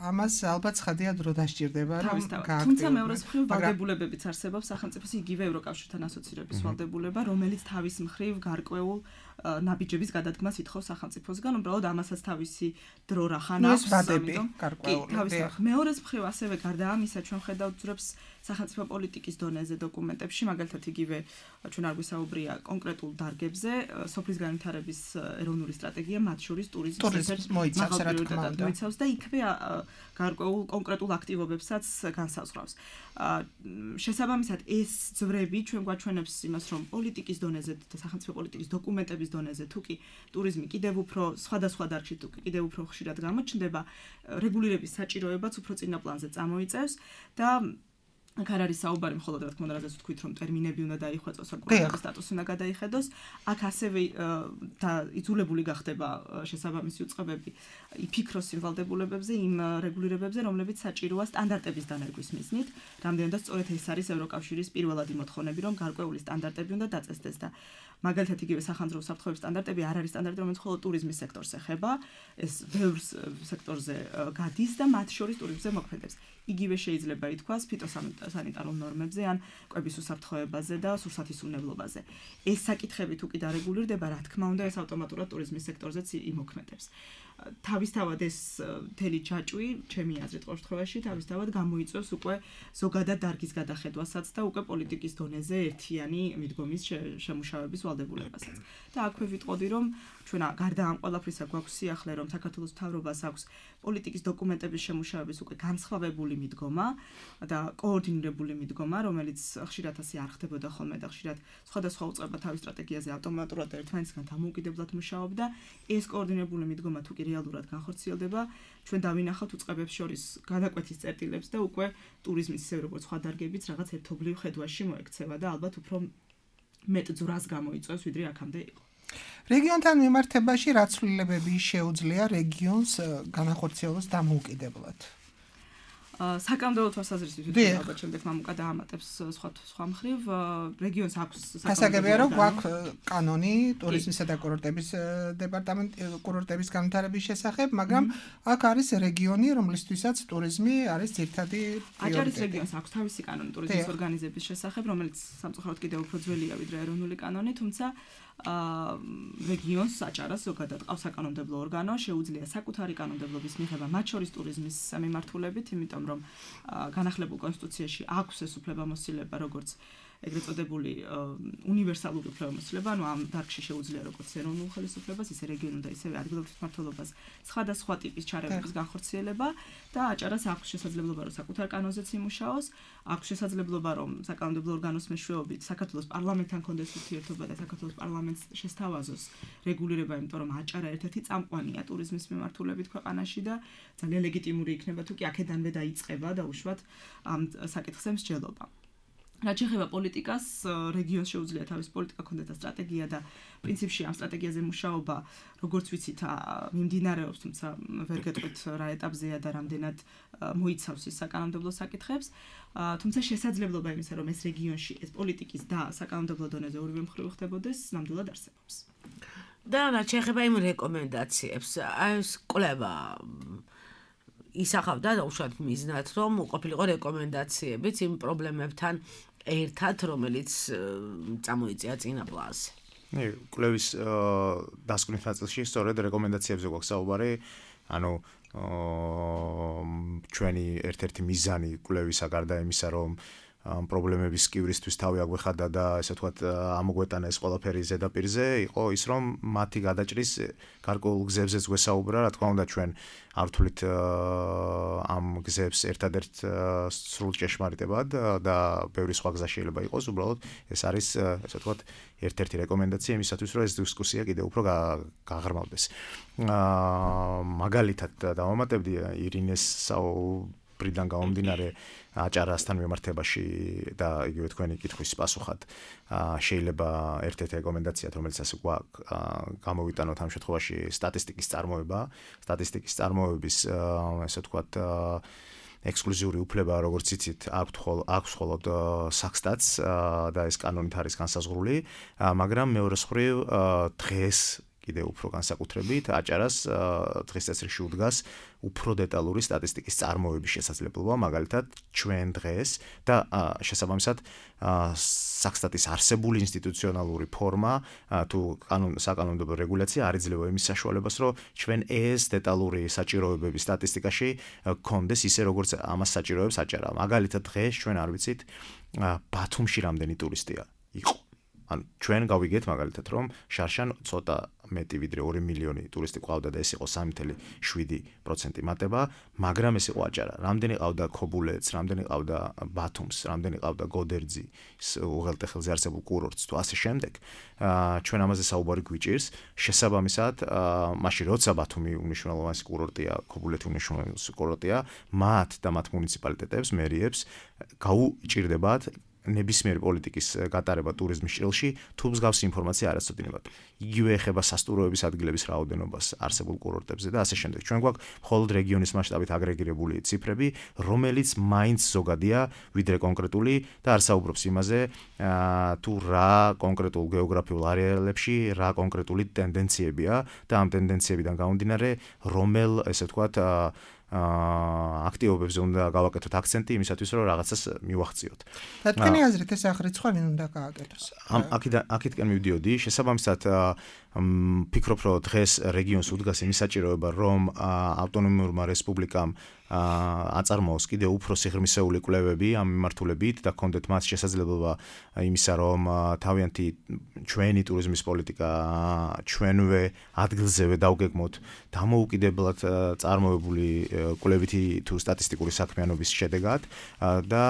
ამას ალბათ ცხადია დრო დასჭირდება, რომ გააქტიურდეს. თუმცა მეორე მხრივ ვალდებულებებიც არსებობს სახელმწიფოს იგივე ევროკავშირთან ასოცირების ვალდებულება, რომელიც თავის მხრივ გარკვეულ ნაბიჯების გადადგმას ითხოვს სახელმწიფოსგან, უბრალოდ ამასაც თავისი დრო რახან აქვს, ამიტომ კი, თავის მხრივ. მეორე მხრივ ასევე გარდა ამისა, ჩვენ ხედავთ ძრებს სახელმწიფო პოლიტიკის დონეზე დოკუმენტებში, მაგალითად იგივე ჩვენ არ გვისაუბრია კონკრეტულ დარგებზე, სოფლის განვითარების ეროვნული სტრატეგია მათ შორის ტურიზმის მოიცავს რა თქმა უნდა. მოიცავს და იქვე გარკვეულ კონკრეტულ აქტივობებსაც განსაზღვრავს. შესაბამისად ეს ძვრები ჩვენ გვაჩვენებს იმას, რომ პოლიტიკის დონეზე და სახელმწიფო პოლიტიკის დოკუმენტების დონეზე თუ კი ტურიზმი კიდევ უფრო სხვადასხვა დარგში თუ კიდევ უფრო ხშირად გამოჩნდება, რეგულირების საჭიროებაც უფრო წინა პლანზე წამოიწევს და აქ არ არის საუბარი მხოლოდ რა თქმა უნდა რაზეც ვთქვით რომ ტერმინები უნდა დაიხვეწოს, საკურორტების სტატუსი უნდა გადაიხედოს, აქ ასევე და იძულებული გახდება შესაბამისი უწყებები იფიქროს იმ ვალდებულებებზე, იმ რეგულირებებზე, რომლებიც საჭიროა სტანდარტების დანერგვის მიზნით, რამდენადაც სწორედ ეს არის ევროკავშირის პირველადი მოთხოვნები, რომ გარკვეული სტანდარტები უნდა დაწესდეს და მაგალითად იგივე სახანძრო უსაფრთხოების სტანდარტები არ არის სტანდარტი, რომელიც მხოლოდ ტურიზმის სექტორს ეხება, ეს ბევრ სექტორზე გადის და მათ შორის ტურიზმზე მოქმედებს. იგივე შეიძლება ითქვას ფიტოსანიტარულ ნორმებზე ან კვების უსაფრთხოებაზე და სურსათისუნებლობაზე. ეს საკითხები თუ კი დარეგულირდება, რა თქმა უნდა, ეს ავტომატურად ტურიზმის სექტორზეც იმოქმედებს. თავისთავად ეს მთელი ჯაჭვი, ჩემი აზრით ყოველ შემთხვევაში, თავისთავად გამოიწვევს უკვე ზოგადად დარგის გადახედვასაც და უკვე პოლიტიკის დონეზე ერთიანი მიდგომის შემუშავების ვალდებულებასაც. და აქვე ვიტყოდი, რომ ჩვენ გარდა ამ ყველაფრისა გვაქვს სიახლე, რომ საქართველოს მთავრობას აქვს პოლიტიკის დოკუმენტების შემუშავების უკვე განსხვავებული მიდგომა და კოორდინირებული მიდგომა, რომელიც ხშირად ასე არ ხდებოდა ხოლმე და ხშირად სხვადასხვა უწყება თავის სტრატეგიაზე ავტომატურად ერთმანეთისგან დამოუკიდებლად მუშაობდა. ეს კოორდინირებული მიდგომა თუ კი რეალურად განხორციელდება, ჩვენ დავინახავთ უწყებებს შორის გადაკვეთის წერტილებს და უკვე ტურიზმის ისე როგორც სხვა დარგებიც რაღაც ერთობლივ ხედვაში მოექცევა და ალბათ უფრო მეტ ძვრას გამოიწვევს, ვიდრე აქამდე იყო. რეგიონთან მიმართებაში რა ცვლილებები შეუძლია რეგიონს განახორციელოს დამოუკიდებლად? საკანონმდებლო თვალსაზრისით ვიდრე ალბათ შემდეგ მამუკა დაამატებს სხვა სხვა მხრივ რეგიონს აქვს საკანონმდებლო რომ გვაქვს კანონი ტურიზმისა და კურორტების დეპარტამენტ კურორტების განვითარების შესახებ, მაგრამ აქ არის რეგიონი, რომლისთვისაც ტურიზმი არის ძირითადი პრიორიტეტი. აჭარის რეგიონს აქვს თავისი კანონი ტურიზმის ორგანიზების შესახებ, რომელიც სამწუხაროდ კიდევ უფრო ძველია ვიდრე ეროვნული კანონი, თუმცა რეგიონს აჭარას ზოგადად ყავს საკანონმდებლო ორგანო, შეუძლია საკუთარი კანონმდებლობის მიღება მათ შორის ტურიზმის მიმართულებით, იმიტომ რომ განახლებულ კონსტიტუციაში აქვს ეს უფლებამოსილება, როგორც ეგრეთ წოდებული უნივერსალური უფლებამოსილება, ანუ ამ დარგში შეუძლია როგორც ეროვნულ ხელისუფლებას, ისე რეგიონულ და ისევე ადგილობრივ მმართველობას სხვადასხვა ტიპის ჩარევების განხორციელება და აჭარას აქვს შესაძლებლობა, რომ საკუთარ კანონზეც იმუშაოს, აქვს შესაძლებლობა, რომ საკანონმდებლო ორგანოს მეშვეობით საქართველოს პარლამენტთან კონდეს ურთიერთობა და საქართველოს პარლამენტს შესთავაზოს რეგულირება, იმიტომ რომ აჭარა ერთ-ერთი წამყვანია ტურიზმის მიმართულებით ქვეყანაში და ძალიან ლეგიტიმური იქნება თუ კი აქედანვე დაიწყება და უშუალოდ ამ საკითხზე მსჯელობა. რაც შეეხება პოლიტიკას, რეგიონს შეუძლია თავის პოლიტიკა კონდეს და სტრატეგია და პრინციპში ამ სტრატეგიაზე მუშაობა, როგორც ვიცით, მიმდინარეობს, თუმცა ვერ გეტყვით რა ეტაპზეა და რამდენად მოიცავს ის საკანონმდებლო საკითხებს, თუმცა შესაძლებლობა იმისა, რომ ეს რეგიონში ეს პოლიტიკის და საკანონმდებლო დონეზე ორივე მხრივ ხდებოდეს, ნამდვილად არსებობს. და რაც შეეხება იმ რეკომენდაციებს, აი ეს კვლევა ისახავდა უშუალოდ მიზნად, რომ ყოფილიყო რეკომენდაციებიც იმ პრობლემებთან ერთად, რომელიც წამოიწია წინა პლანზე. ნე, კვლევის დასკვნის ნაწილში სწორედ რეკომენდაციებზე გვაქვს საუბარი, ანუ ჩვენი ერთ-ერთი მიზანი კვლევისა გარდა იმისა, რომ ამ პრობლემების კივრისთვის თავი აგვეხადა და ესე ვთქვათ ამოგვეტანა ეს ყველაფერი ზედაპირზე, იყო ის, რომ მათი გადაჭრის გარკვეულ გზებზეც გვესაუბრა, რა თქმა უნდა ჩვენ არ ვთვლით ამ გზებს ერთადერთ სრულ ჭეშმარიტებად და ბევრი სხვა გზა შეიძლება იყოს, უბრალოდ ეს არის ესე ვთქვათ ერთ-ერთი რეკომენდაცია იმისათვის, რომ ეს დისკუსია კიდევ უფრო გაღრმავდეს. მაგალითად დავამატებდი ირინეს საუბრიდან გამომდინარე აჭარასთან მიმართებაში და იგივე თქვენი კითხვის პასუხად შეიძლება ერთ-ერთი რეკომენდაციად, რომელიც ასე გვაქვს გამოვიტანოთ ამ შემთხვევაში სტატისტიკის წარმოება, სტატისტიკის წარმოების ესე ვთქვათ ექსკლუზიური უფლება, როგორც იცით, აქვს ხოლ აქვს ხოლოდ საქსტატს და ეს კანონით არის განსაზღვრული, მაგრამ მეორე მხრივ დღეს კიდევ უფრო განსაკუთრებით აჭარას დღეს წესრიგში უდგას უფრო დეტალური სტატისტიკის წარმოების შესაძლებლობა, მაგალითად, ჩვენ დღეს და შესაბამისად საქსტატის არსებული ინსტიტუციონალური ფორმა თუ საკანონმდებლო რეგულაცია არ იძლევა იმის საშუალებას, რომ ჩვენ ეს დეტალური საჭიროებების სტატისტიკაში გქონდეს ისე, როგორც ამას საჭიროებს აჭარა. მაგალითად, დღეს ჩვენ არ ვიცით ბათუმში რამდენი ტურისტია იყო. ანუ ჩვენ გავიგეთ მაგალითად, რომ შარშან ცოტა მეტი ვიდრე ორი მილიონი ტურისტი ყავდა და ეს იყო სამი წელი შვიდი პროცენტი მატება, მაგრამ ეს იყო აჭარა. რამდენი ყავდა ქობულეთს, რამდენი ყავდა ბათუმს, რამდენი ყავდა გოდერძის უღელტეხილზე არსებულ კურორტს თუ ასე შემდეგ. ჩვენ ამაზე საუბარი გვიჭირს. შესაბამისად, მაშინ როცა ბათუმი უნიშნულოვანესი კურორტია, ქობულეთი უნიშნულოვანესი კურორტია, მათ და მათ მუნიციპალიტეტებს, მერიებს გაუჭირდებათ ნებისმიერი პოლიტიკის გატარება ტურიზმის ჭრილში, თუ მსგავსი ინფორმაცია არ აცოდინებათ. იგივე ეხება სასტუმროების ადგილების რაოდენობას არსებულ კურორტებზე და ასე შემდეგ. ჩვენ გვაქვს მხოლოდ რეგიონის მასშტაბით აგრეგირებული ციფრები, რომელიც მაინც ზოგადია ვიდრე კონკრეტული და არ საუბრობს იმაზე, თუ რა კონკრეტულ გეოგრაფიულ არეალებში რა კონკრეტული ტენდენციებია და ამ ტენდენციებიდან გამომდინარე, რომელ, ესე ვთქვათ, აქტივობებზე უნდა გავაკეთოთ აქცენტი იმისათვის, რომ რაღაცას მივახციოთ. და თქვენი აზრით ეს აღრიცხვა ვინ უნდა გააკეთოს? ამ აქედან აქეთკენ მივდიოდი, შესაბამისად ფიქრობ, რომ დღეს რეგიონს უდგას იმის საჭიროება, რომ ავტონომიურმა რესპუბლიკამ აწარმოოს კიდევ უფრო სიღრმისეული კვლევები ამ მიმართულებით და კონდეთ მას შესაძლებლობა იმისა, რომ თავიანთი ჩვენი ტურიზმის პოლიტიკა ჩვენვე ადგილზევე დავგეგმოთ დამოუკიდებლად წარმოებული კვლევითი თუ სტატისტიკური საქმიანობის შედეგად და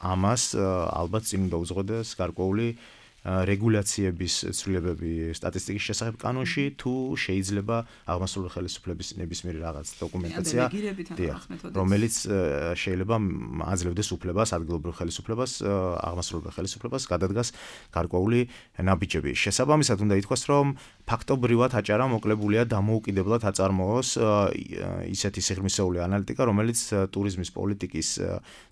ამას ალბათ წინ უნდა უძღოდეს გარკვეული რეგულაციების ცვლილებები სტატისტიკის შესახებ კანონში თუ შეიძლება აღმასრულებელი ხელისუფლების ნებისმიერი რაღაც დოკუმენტაცია, რომელიც შეიძლება აძლევდეს უფლებას ადგილობრივ ხელისუფლებას, აღმასრულებელ ხელისუფლებას გადადგას გარკვეული ნაბიჯები. შესაბამისად უნდა ითქვას, რომ ფაქტობრივად აჭარა მოკლებულია დამოუკიდებლად აწარმოოს ისეთი სიღრმისეული ანალიტიკა, რომელიც ტურიზმის პოლიტიკის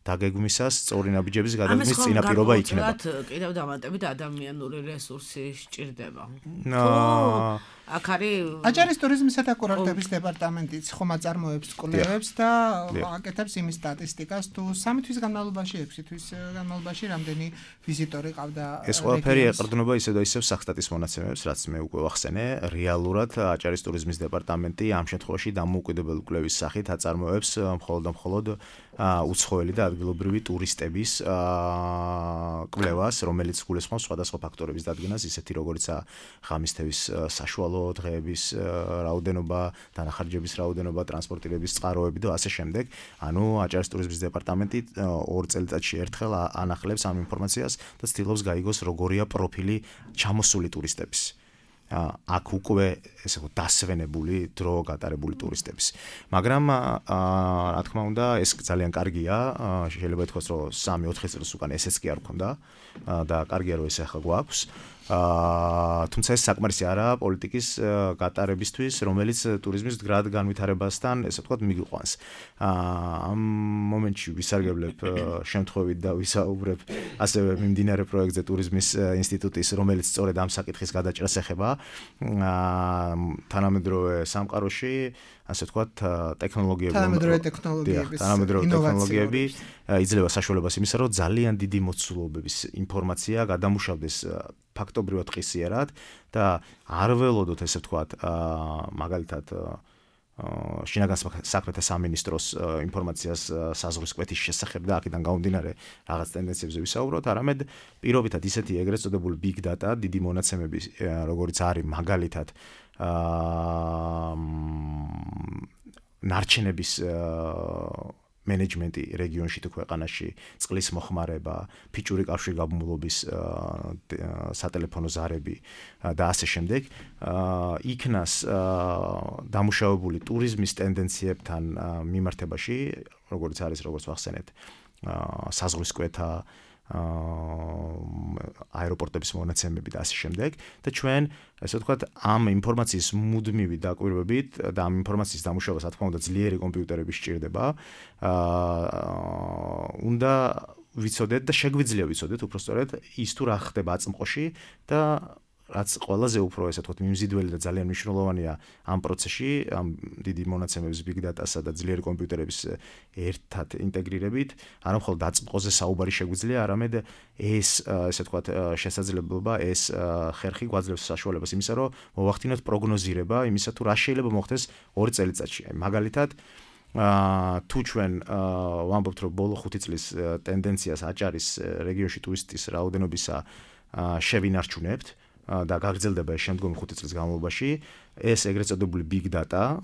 დაგეგმვისას სწორი ნაბიჯების გადადგმის წინაპირობა იქნება. კიდევ დამატებით ადამიანური რესურსი სჭირდება. ნო აქ არის აჭარის ტურიზმისა და კურორტების დეპარტამენტიც ხომ აწარმოებს კვლევებს და აკეთებს იმის სტატისტიკას, თუ სამი თვის განმავლობაში, ექვსი თვის განმავლობაში რამდენი ვიზიტორი ყავდა. ეს ყველაფერი ეყრდნობა ისევ და ისევ საქსტატის მონაცემებს, რაც მე უკვე ვახსენე. რეალურად აჭარის ტურიზმის დეპარტამენტი ამ შემთხვევაში დამოუკიდებელი კვლევის სახით აწარმოებს მხოლოდ და მხოლოდ უცხოელი და ადგილობრივი ტურისტების კვლევას, რომელიც გულისხმობს სხვადასხვა ფაქტორების დადგენას, ისეთი როგორიცაა ღამისთების საშუალო დღეების რაოდენობა, დანახარჯების რაოდენობა, ტრანსპორტირების წყაროები და ასე შემდეგ. ანუ აჭარის ტურიზმის დეპარტამენტი ორ წელიწადში ერთხელ ანახლებს ამ ინფორმაციას და ცდილობს გაიგოს როგორია პროფილი ჩამოსული ტურისტების. აქ უკვე ესე ვთქვათ დასვენებული დრო გატარებული ტურისტების. მაგრამ რა თქმა უნდა, ეს ძალიან კარგია, შეიძლება ითქვას, რომ სამი ოთხი წელს უკან ესეც კი არ გქონდა და კარგია რომ ეს ახლა გვაქვს. თუმცა ეს საკმარისი არაა პოლიტიკის გატარებისთვის, რომელიც ტურიზმის მდგრად განვითარებასთან, ესე ვთქვათ, მიგვიყვანს. ამ მომენტში ვისარგებლებ შემთხვევით და ვისაუბრებ ასევე მიმდინარე პროექტზე ტურიზმის ინსტიტუტის, რომელიც სწორედ ამ საკითხის გადაჭრას ეხება. თანამედროვე სამყაროში, ასე ვთქვათ, ტექნოლოგიები, თანამედროვე ტექნოლოგიების, თანამედროვე ტექნოლოგიები იძლევა საშუალებას იმისა, რომ ძალიან დიდი მოცულობების ინფორმაცია გადამუშავდეს ფაქტობრივად ღირსიერად და არ ველოდოთ, ესე ვთქვათ, მაგალითად შინაგან საქმეთა სამინისტროს ინფორმაციას საზღვრის კვეთის შესახებ და აქედან გამომდინარე რაღაც ტენდენციებზე ვისაუბროთ, არამედ პირობითად ისეთი ეგრეთ წოდებული big data, დიდი მონაცემები, როგორც არის მაგალითად ნარჩენების მენეჯმენტი რეგიონში თუ ქვეყანაში, წყლის მოხმარება, ფიჭური კავშირგაბმულობის სატელეფონო ზარები და ასე შემდეგ, იქნას დამუშავებული ტურიზმის ტენდენციებთან მიმართებაში, როგორც არის, როგორც ვახსენეთ, საზღვრის კვეთა, აეროპორტების მონაცემები და ასე შემდეგ და ჩვენ, ესე ვთქვათ, ამ ინფორმაციის მუდმივი დაკვირვებით და ამ ინფორმაციის დამუშავებას, რა თქმა უნდა, ძლიერი კომპიუტერები სჭირდება. უნდა ვიცოდეთ და შეგვიძლია ვიცოდეთ უბრალოდ ის თუ რა ხდება აწმყოში და რაც ყველაზე უფრო ესე ვთქვათ მიმზიდველი და ძალიან მნიშვნელოვანია ამ პროცესში, ამ დიდი მონაცემების big data-სა და ძლიერი კომპიუტერების ერთად ინტეგრირებით, არა მხოლოდ დაწმყოზე საუბარი შეგვიძლია, არამედ ეს ესე ვთქვათ შესაძლებლობა, ეს ხერხი გვაძლევს საშუალებას იმისა, რომ მოვახდინოთ პროგნოზირება იმისა, თუ რა შეიძლება მოხდეს ორი წელიწადში. მაგალითად, თუ ჩვენ ვამბობთ, რომ ბოლო ხუთი წლის ტენდენციას აჭარის რეგიონში ტურისტის რაოდენობისა შევინარჩუნებთ და გაგრძელდება ეს შემდგომი ხუთი წლის განმავლობაში, ეს ეგრეთ წოდებული big data,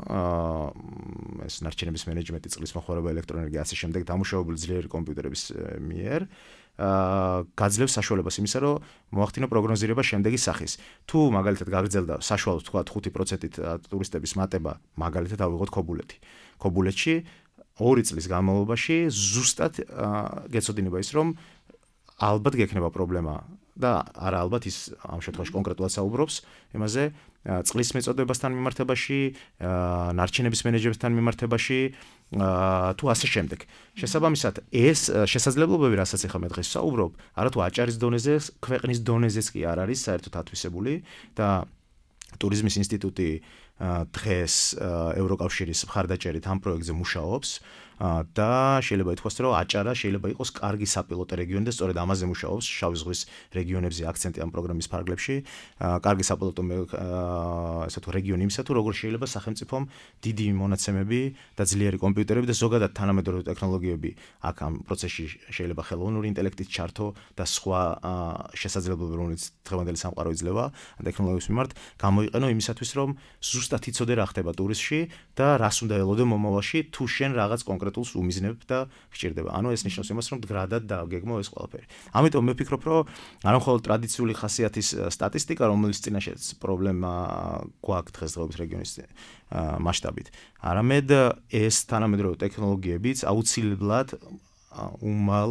ეს ნარჩენების მენეჯმენტი, წყლის მოხმარება, ელექტროენერგია, ასე შემდეგ დამუშავებული ძლიერი კომპიუტერების მიერ გაძლევს საშუალებას იმისა, რომ მოახდინო პროგნოზირება შემდეგი სახის. თუ მაგალითად გაგრძელდა საშუალოდ თქვა ხუთი პროცენტით ტურისტების მატება, მაგალითად ავიღოთ ქობულეთი. ქობულეთში ორი წლის განმავლობაში ზუსტად გეცოდინება ის, რომ ალბათ გექნება პრობლემა და არა ალბათ ის ამ შემთხვევაში კონკრეტულად საუბრობს იმაზე წყლის მეწოდებასთან მიმართებაში, ნარჩენების მენეჯმენტთან მიმართებაში თუ ასე შემდეგ. შესაბამისად, ეს შესაძლებლობები, რასაც ახლა მე დღეს საუბრობ, არათუ აჭარის დონეზე, ქვეყნის დონეზეც კი არ არის საერთოდ ათვისებული და ტურიზმის ინსტიტუტი დღეს ევროკავშირის მხარდაჭერით ამ პროექტზე მუშაობს და შეიძლება ითქვას, რომ აჭარა შეიძლება იყოს კარგი საპილოტო რეგიონი და სწორედ ამაზე მუშაობს შავი ზღვის რეგიონებზე აქცენტი ამ პროგრამის ფარგლებში. კარგი საპილოტო ასე თუ რეგიონი იმისა, თუ როგორ შეიძლება სახელმწიფომ დიდი მონაცემები და ძლიერი კომპიუტერები და ზოგადად თანამედროვე ტექნოლოგიები აქ ამ პროცესში შეიძლება ხელოვნური ინტელექტით ჩართო და სხვა შესაძლებლობები, რომელიც დღევანდელი სამყარო იძლევა ტექნოლოგიების მიმართ, გამოიყენო იმისათვის, რომ ზუსტად იცოდე რა ხდება ტურიზმში და რას უნდა ელოდე მომავალში, თუ შენ რაღაც კონკრეტულს უმიზნებ და გჭირდება. ანუ ეს ნიშნავს იმას, რომ მდგრადად დააგეგმო ეს ყველაფერი. ამიტომ მე ვფიქრობ, რომ არა მხოლოდ ტრადიციული ხასიათის სტატისტიკა, რომელიც წინაშეც პრობლემა გვაქვს დღესდღეობით რეგიონის მასშტაბით, არამედ ეს თანამედროვე ტექნოლოგიებიც აუცილებლად უმალ,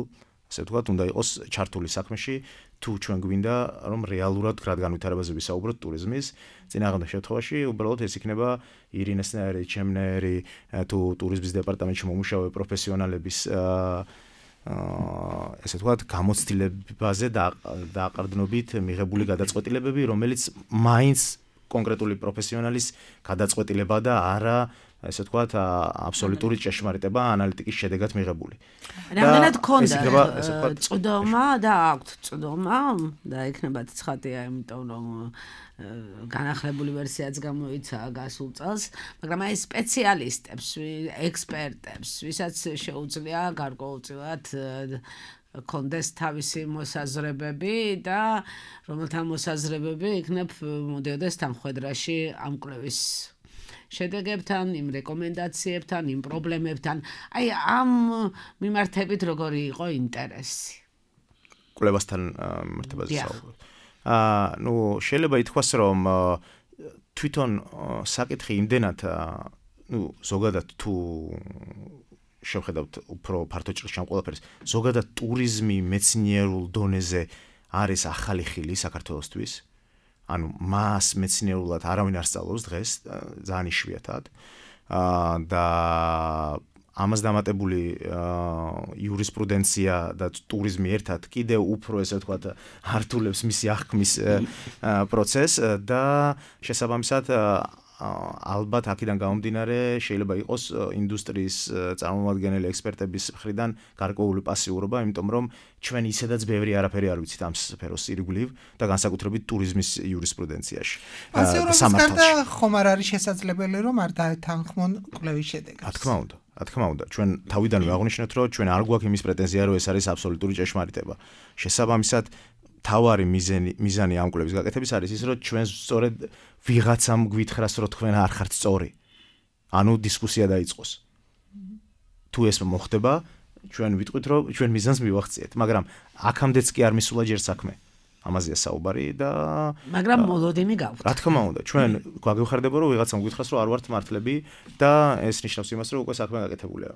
ასე ვთქვათ, უნდა იყოს ჩართული საქმეში, თუ ჩვენ გვინდა, რომ რეალურად გრად განვითარებაზე ვისაუბროთ ტურიზმის. წინააღმდეგ შემთხვევაში უბრალოდ ეს იქნება ირინესნაირი, ჩემნაირი თუ ტურიზმის დეპარტამენტში მომუშავე პროფესიონალების ესე ვთქვათ, გამოცდილებაზე და დააყრდნობით მიღებული გადაწყვეტილებები, რომელიც მაინც კონკრეტული პროფესიონალის გადაწყვეტილება და არა ესე ვთქვათ, აბსოლუტური ჭეშმარიტება ანალიტიკის შედეგად მიღებული. რამდენად ქონდა წვდომა და აქვთ წვდომა და იქნება ცხადია, იმიტომ რომ განახლებული ვერსიაც გამოიცა გასულ წელს, მაგრამ აი სპეციალისტებს, ექსპერტებს, ვისაც შეუძლია გარკვეულწილად კონდეს თავისი მოსაზრებები და რომელთა მოსაზრებები იქნებ მოდიოდეს თანხმდრაში ამ კვლევის შედეგებთან, იმ რეკომენდაციებთან, იმ პრობლემებთან. აი ამ მიმართებით როგორი იყო ინტერესი? კვლევასთან მიმართებაზე საუბრობ. აა, ნუ შეიძლება ითქვას, რომ თვითონ საკითხი იმდენად, ნუ ზოგადად თუ შევხედავთ უფრო ფართო ჭრილში ამ ყველაფერს, ზოგადად ტურიზმი მეცნიერულ დონეზე არის ახალი ხილი საქართველოსთვის. ანუ მას მეცნიერულად არავინ არ სწავლობს დღეს, ძალიან იშვიათად. აა და ამას დამატებული იურისპრუდენცია და ტურიზმი ერთად კიდევ უფრო ესე ვთქვათ ართულებს მისი აღქმის პროცესს და შესაბამისად ალბათ აქედან გამომდინარე შეიძლება იყოს ინდუსტრიის წარმომადგენელი ექსპერტების მხრიდან გარკვეული პასიურობა, იმიტომ რომ ჩვენ ისედაც ბევრი არაფერი არ ვიცით ამ სფეროს ირგვლივ და განსაკუთრებით ტურიზმის იურისპრუდენციაში. პასიურობის გარდა ხომ არ არის შესაძლებელი რომ არ დაეთანხმონ კვლევის შედეგებს? რა თქმა უნდა. რა თქმა უნდა, ჩვენ თავიდანვე აღვნიშნეთ, რომ ჩვენ არ გვაქვს იმის პრეტენზია, რომ ეს არის აბსოლუტური ჭეშმარიტება. შესაბამისად, თავარი მიზანი მიზანი ამ კვლევის გაკეთების არის ის, რომ ჩვენ სწორედ ვიღაცამ გვითხრას, რომ თქვენ არ ხართ სწორი. ანუ დისკუსია დაიწყოს. თუ ეს მოხდება, ჩვენ ვიტყვით, რომ ჩვენ მიზანს მივახციეთ, მაგრამ აქამდეც კი არ მისულა ჯერ საქმე. ამაზეა საუბარი და მაგრამ მოლოდინი გაქვთ. რა თქმა უნდა, ჩვენ გვაგევხარდება, რომ ვიღაცამ გვითხრას, რომ არ ვართ მართლები და ეს ნიშნავს იმას, რომ უკვე საქმე გაკეთებულია.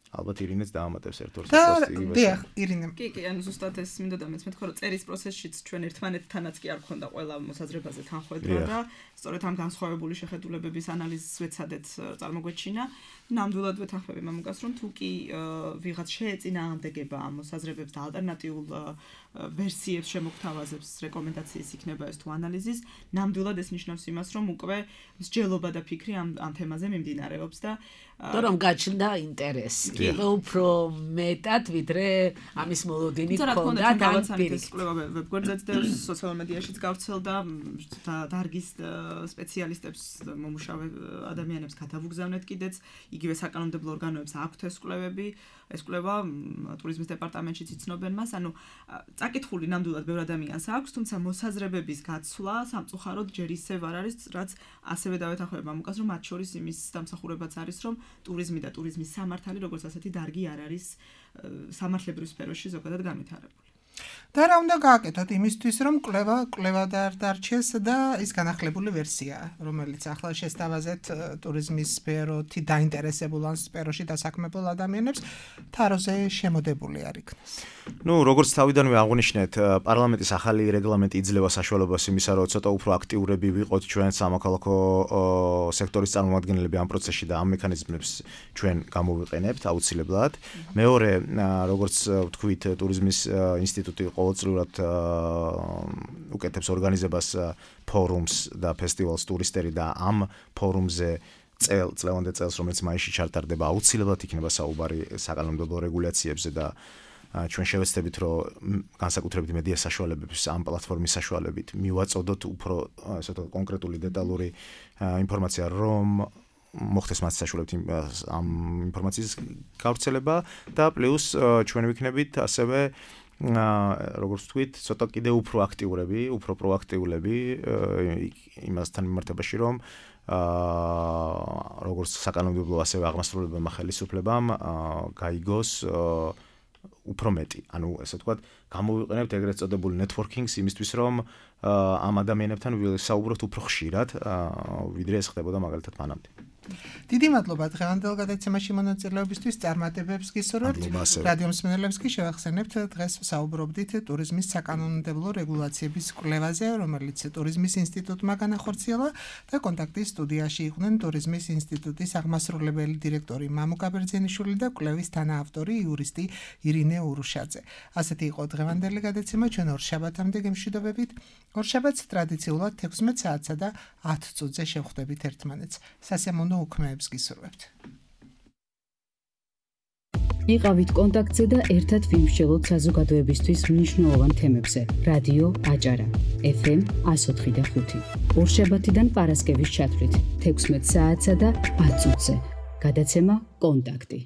ალბათ ირინეც დაამატებს ერთ-ორ და პოსტს. დიახ, ირინე. კი, კი, ანუ ზუსტად ეს მინდა და მეც მეთქვა, რომ წერის პროცესშიც ჩვენ ერთმანეთთანაც კი არ ქონდა ყველა მოსაზრებაზე თანხმობა და სწორედ ამ განსხვავებული შეხედულებების ანალიზს ვეცადეთ წარმოგვეჩინა. ნამდვილად ვეთანხმები მამუკას, რომ თუ კი ვიღაც შეეწინააღმდეგება ამ მოსაზრებებს და ალტერნატიულ ვერსიებს შემოგთავაზებს რეკომენდაციის იქნება ეს თუ ანალიზის, ნამდვილად ეს ნიშნავს იმას, რომ უკვე მსჯელობა და ფიქრი ამ ამ თემაზე მიმდინარეობს და და რომ გაჩნდა ინტერესი. უფრო მეტად ვიდრე ამის მოლოდინი ქონდა და პირის კვლევა ვებგვერდზეც და სოციალურ მედიაშიც გავრცელდა და დარგის სპეციალისტებს მომუშავე ადამიანებს გადავუგზავნეთ კიდეც იგივე საკანონმდებლო ორგანოებს აქვთ ეს კვლევები ეს კვლევა ტურიზმის დეპარტამენტშიც იცნობენ მას ანუ წაკითხული ნამდვილად ბევრ ადამიანს აქვს თუმცა მოსაზრებების გაცვლა სამწუხაროდ ჯერ ისევ არ არის რაც ასევე დავეთანხმებ მამუკას რომ მათ შორის იმის დამსახურებაც არის რომ ტურიზმი და ტურიზმის სამართალი როგორც ასეთი დარგი არ არის სამართლებრივ სფეროში ზოგადად განვითარებული. და რა უნდა გააკეთოთ იმისთვის რომ კვლევა კვლევა დარჩეს და ის განახლებული ვერსია რომელიც ახლა შესთავაზეთ ტურიზმის სფეროთი დაინტერესებულ ან სფეროში დასაქმებულ ადამიანებს თაროზე შემოდებული არ იქნას. ნუ როგორც თავიდანვე აღვნიშნეთ პარლამენტის ახალი რეგლამენტი იძლევა საშუალებას იმისა რომ ცოტა უფრო აქტიურები ვიყოთ ჩვენ სამოქალაქო სექტორის წარმომადგენლები ამ პროცესში და ამ მექანიზმებს ჩვენ გამოვიყენებთ აუცილებლად. მეორე როგორც ვთქვით ტურიზმის ინსტიტუტი ყოველწლიურად უკეთებს ორგანიზებას ფორუმს და ფესტივალს ტურისტერი და ამ ფორუმზე წელ წლევანდელ წელს რომელიც მაისში ჩატარდება აუცილებლად იქნება საუბარი საკანონმდებლო რეგულაციებზე და ჩვენ შევეცდებით რომ განსაკუთრებით მედია საშუალებების ამ პლატფორმის საშუალებით მივაწოდოთ უფრო ასე ვთქვათ კონკრეტული დეტალური ინფორმაცია რომ მოხდეს მათ საშუალებით ამ ინფორმაციის გავრცელება და პლუს ჩვენ ვიქნებით ასევე როგორც ვთქვით, ცოტა კიდე უფრო აქტიურები, უფრო პროაქტიულები იმასთან მიმართებაში, რომ როგორც საკანონმდებლო ასევე აღმასრულებელმა ხელისუფლებამ გაიგოს უფრო მეტი. ანუ ესე ვთქვათ, გამოვიყენებთ ეგრეთ წოდებული networking-ს იმისთვის, რომ ამ ადამიანებთან ვისაუბროთ უფრო ხშირად, ვიდრე ეს ხდებოდა მაგალითად მანამდე. დიდი მადლობა დღევანდელ გადაცემაში მონაწილეობისთვის წარმატებებს გისურვებთ. რადიო მსმენელებს კი შევახსენებთ დღეს საუბრობდით ტურიზმის საკანონმდებლო რეგულაციების კვლევაზე, რომელიც ტურიზმის ინსტიტუტმა განახორციელა და კონტაქტის სტუდიაში იყვნენ ტურიზმის ინსტიტუტის აღმასრულებელი დირექტორი მამუკა ბერძენიშვილი და კვლევის თანაავტორი იურისტი ირინე ურუშაძე. ასეთი იყო დღევანდელი გადაცემა, ჩვენ ორშაბათამდე გემშვიდობებით. ორშაბათს ტრადიციულად თექვსმეტ საათსა და ათ წუთზე შევხვდებით ერთმანეთს. სასიამოვნო უქმეებს გისურვებთ. იყავით კონტაქტზე და ერთად ვიმსჯელოთ საზოგადოებისთვის მნიშვნელოვან თემებზე. რადიო აჭარა ეფ ემ εκατო ოთხი და ხუთი. ორშაბათიდან პარასკევის ჩათვლით თექვსმეტ საათსა და ათ წუთზე. გადაცემა კონტაქტი.